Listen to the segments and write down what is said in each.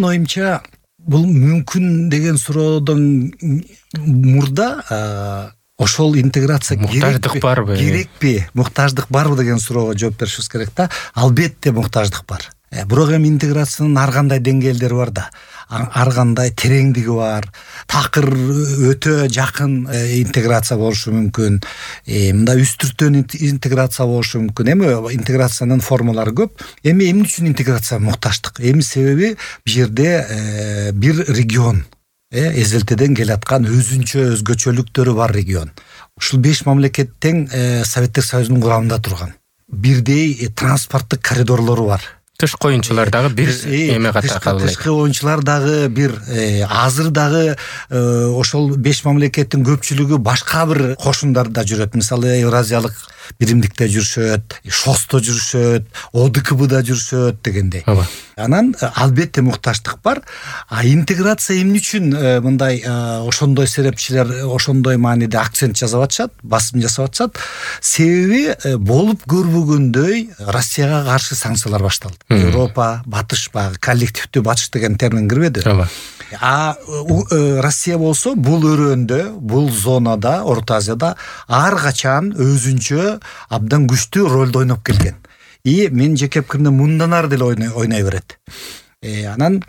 Менин оюмча бул мүмкүн деген суроодон мурда ошол интеграция муктаждык барбы? Керекпи? Муктаждык барбы деген суроого жооп беришибиз керек да. Албетте муктаждык бар. Бирок эми интеграциянын ар кандай деңгээлдери бар да. Ар кандай тереңдиги бар. Такыр өтө жакын интеграция болушу мүмкүн. Мындай үстүртөн интеграция болушу мүмкүн. Эми интеграциянын формалары көп. Эми эмне үчүн интеграция муктаждык? Эми себеби бул жерде бир регион эзелтеден келаткан өзгөчөлүктөрү бар регион. Ушул 5 мамлекет тең Советтер Союзунун курамында турган. Бирдей транспорттук коридорлору бар. Тышкы оюнчулар дагы бир эме катары кабыл Тышкы оюнчулар дагы бир. Азыр дагы ошол 5 мамлекеттин көпчүлүгү башка бир кошундарда жүрөт. Мисалы Евразиялык биримдикте жүрүшөт, ШОСто жүрүшөт, ОДКБда жүрүшөт дегендей. Анан албетте муктаждык бар. Интеграция эмне үчүн мындай ошондой серепчилер ошондой мааниде акцент жасап атышат, басым жасап атышат? Себеби болуп көрбөгөндөй Россияга каршы санкциялар башталды. Европа, батыш багы, коллективдүү батыш деген термин кирбеди. Россия болсо бул өрөөндө, бул зонада, Орто Азияда ар качан өзүнчө абдан күчтүү ролду ойноп келген. Мен жеке пикиримде мындан ары деле ойной берет. Анан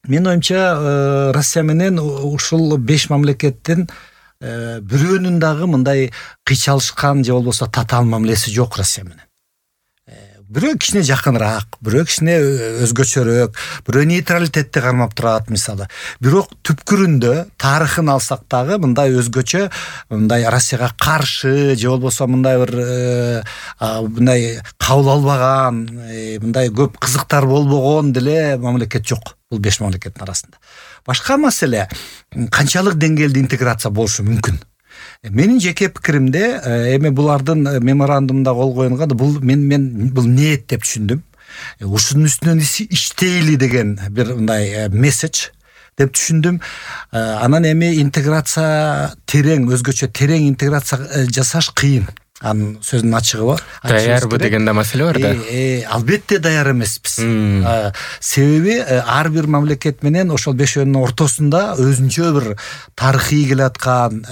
мен оюмча Россия менен ушул 5 мамлекеттин бирөөнүн дагы мындай кыйчалышкан же болбосо татаал мамилеси жок Россия менен. Бирөө кичине жакыныраак, бирөө кичине өзгөчөрөөк, бирөө нейтралитетти кармап турат мисалы. Бирок түпкүрүндө тарыхын алсак дагы мындай өзгөчө, мындай Россияга каршы же болбосо мындай бир мындай кабыл албаган, мындай көп кызыктар болбогон деле мамлекет жок бул 5 мамлекеттин арасында. Башка маселе канчалык деңгээлде интеграция болушу мүмкүн? Менин жеке пикиримде эми булардын меморандумда кол коюлган бул мен бул ниет деп түшүндүм. Ушунун үстүнөн иштейли деген бир мындай месседж деп түшүндүм. Анан эми интеграция терең, өзгөчө терең интеграция жасаш кыйын. Анын сөзүнүн ачыгы бар. Даярбы деген да маселе бар да. Албетте даяр эмеспиз. Себеби ар бир мамлекет менен ошол бешөөнүн ортосунда өзүнчө бир тарыхый келаткан,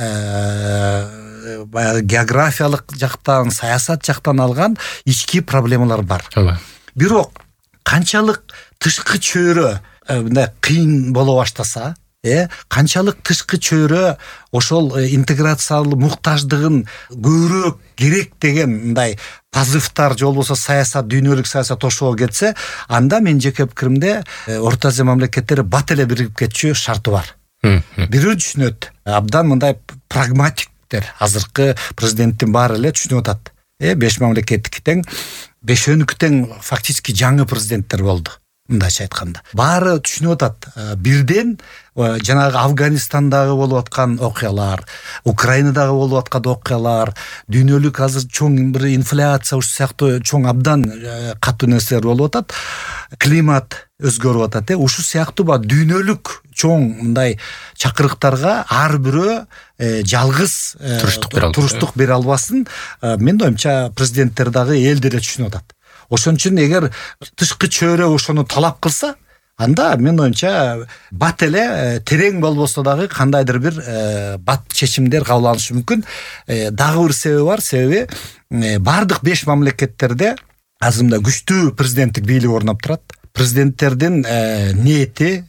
географиялык жактан, саясат жактан алган ички проблемалар бар. Бирок канчалык тышкы чөйрө мындай кыйын боло баштаса, канчалык тышкы чөйрө ошол интеграциялык муктаждыгын көбүрөөк керек деген мындай позывтар же болбосо саясат, дүйнөлүк саясат ошого кетсе, анда мен жеке пикиримде Орто Азия мамлекеттери бат эле биригип кетчү шарты бар. Бирөө түшүнөт. Абдан мындай прагматиктер, азыркы президенттин баары эле түшүнүп атат. 5 мамлекеттики тең, бешөөнүкү тең фактически жаңы президенттер болду. Мындайча айтканда. Баары түшүнүп атат. Бирден жанагы Афганистандагы болуп аткан окуялар, Украинадагы болуп аткан окуялар, дүйнөлүк азыр чоң бир инфляция ушу сыяктуу чоң абдан катуу нерселер болуп атат. Климат өзгөрүп атат. Ушу сыяктуу дүйнөлүк чоң мындай чакырыктарга ар бирөө жалгыз туруштук бере албасын. Мен оюмча президенттер дагы эл деле түшүнүп атат. Ошон үчүн эгер тышкы чөйрө ошону талап кылса, анда мен оюмча бат эле терең болбосо дагы кандайдыр бир бат чечимдер кабыл алышы мүмкүн. Дагы бир себеби бар, себеби бардык 5 мамлекеттерде азыр мындай күчтүү президенттик бийлик орноп турат. Президенттердин ниети,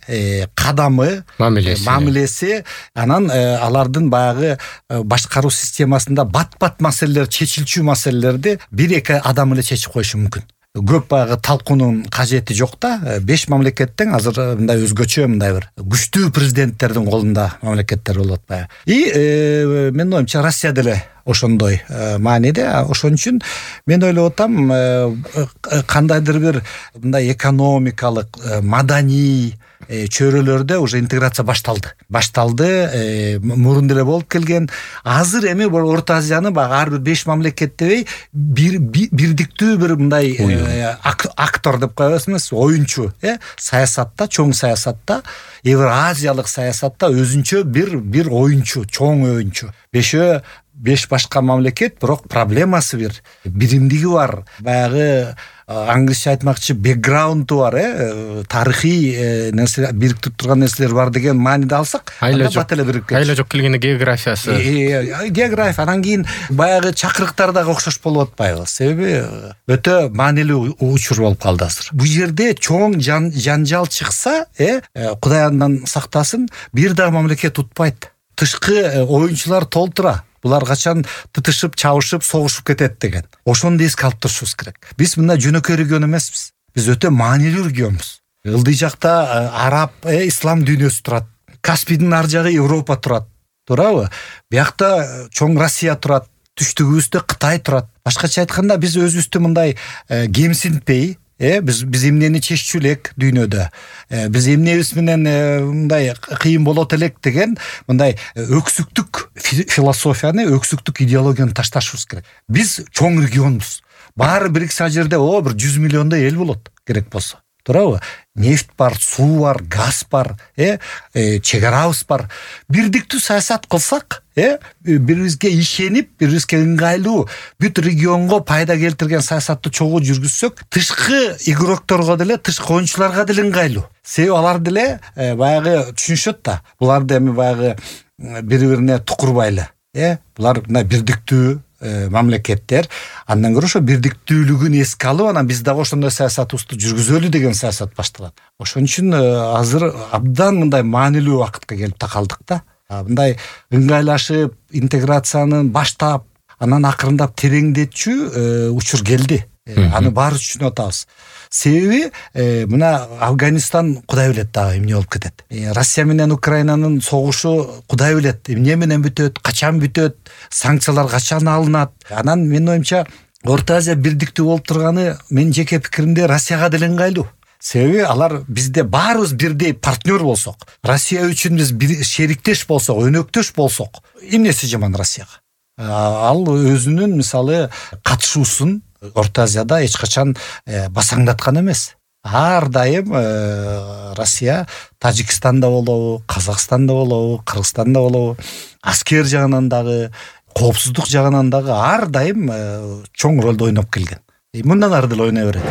кадамы, мамилеси, анан алардын баягы башкаруу системасында бат-бат маселелер, чечилчү маселелерди 1-2 адам эле чечип коюшу мүмкүн. Көп баягы талкуунун кажети жок да. 5 мамлекеттен азыр мындай өзгөчө мындай бир күчтүү президенттердин колунда мамлекеттер болуп атпайбы. Мен оюмча Россия деле ошондой мааниде. Ошон үчүн мен ойлоп атам, кандайдыр бир мындай экономикалык, маданий чөйрөлөрдө уже интеграция башталды, мурун деле болуп келген. Азыр эми Орто Азияны ар бир 5 мамлекеттебей бирдиктүү бир мындай актор деп коебузбуз, оюнчу, саясатта, чоң саясатта, Евразиялык саясатта өзүнчө бир оюнчу, чоң оюнчу. 5 башка мамлекет, бирок проблемасы биримдиги бар. Баягы англисче айтмакчы бэкграунду бар, тарыхый нерсе бириктирип турган нерселер бар деген мааниде алсак, бат эле бирип кетти. Айла жок келгенде географиясы. География, анан кийин баягы чакырыктар дагы окшош болуп атпайбы? Себеби өтө маанилүү учур болуп калды азыр. Бул жерде чоң жанжал чыкса, Кудай андан сактасын, бир дагы мамлекет утпайт. Тышкы оюнчулар толтура. Булар качан тытышып, чабышып, согушуп кетет деген. Ошону эске алып турушубуз керек. Биз мындай жөнөкөй регион эмеспиз. Биз өтө маанилүү регионбуз. Ылдый жакта араб, ислам дүйнөсү турат. Каспийдин ар жагы Европа турат. Туурабы? Биякта чоң Россия турат. Түштүгүбүздө Кытай турат. Башкача айтканда, биз өзүбүздү мындай кемсинтпей, биз эмнени чеччү элек дүйнөдө, биз эмнебиз менен мындай кыйын болот элек деген мындай өксүктүк философияны, өксүктүк идеологияны ташташыбыз керек. Биз чоң регионбуз. Баары бириксе жерде бир 100 миллиондой эл болот керек болсо. Туурабы? Нефть бар, суу бар, газ бар, чек арабыз бар. Бирдиктүү саясат кылсак, бирибизге ишенип, бирибизге ыңгайлуу бүт регионго пайда келтирген саясатты чогуу жүргүзсөк, тышкы игрокторго деле, тышкы оюнчуларга деле ыңгайлуу. Себеби алар деле баягы түшүнүшөт да. Булар да эми баягы бири-бирине тукурбайлы. Булар мына бирдиктүү мамлекеттер, андан көрө ошо бирдиктүүлүгүн эске алып, анан биз дагы ошондой саясатыбызды жүргүзөлү деген саясат башталат. Ошон үчүн азыр абдан мындай маанилүү убакытка келип такалдык да. Мындай ыңгайлашып, интеграцияны баштап, анан акырындап тереңдетчү учур келди. Аны баары түшүнүп атабыз. Себеби мына Афганистан Кудай билет дагы эмне болуп кетет. Россия менен Украинанын согушу Кудай билет эмне менен бүтөт, качан бүтөт, санкциялар качан алынат. Анан менин оюмча Орто Азия бирдиктүү болуп турганы менин жеке пикиримде Россияга деле ыңгайлуу. Себеби алар бизде баарыбыз бирдей партнер болсок, Россия үчүн биз шериктеш болсок, өнөктөш болсок, эмнеси жаман Россияга? Ал өзүнүн мисалы катышуусун Орто Азияда эч качан басаңдаткан эмес. Ар дайым Россия Тажикстанда болобу, Казакстанда болобу, Кыргызстанда болобу, аскер жагынан дагы, коопсуздук жагынан дагы ар дайым чоң ролду ойноп келген. Мындан ары деле ойной берет.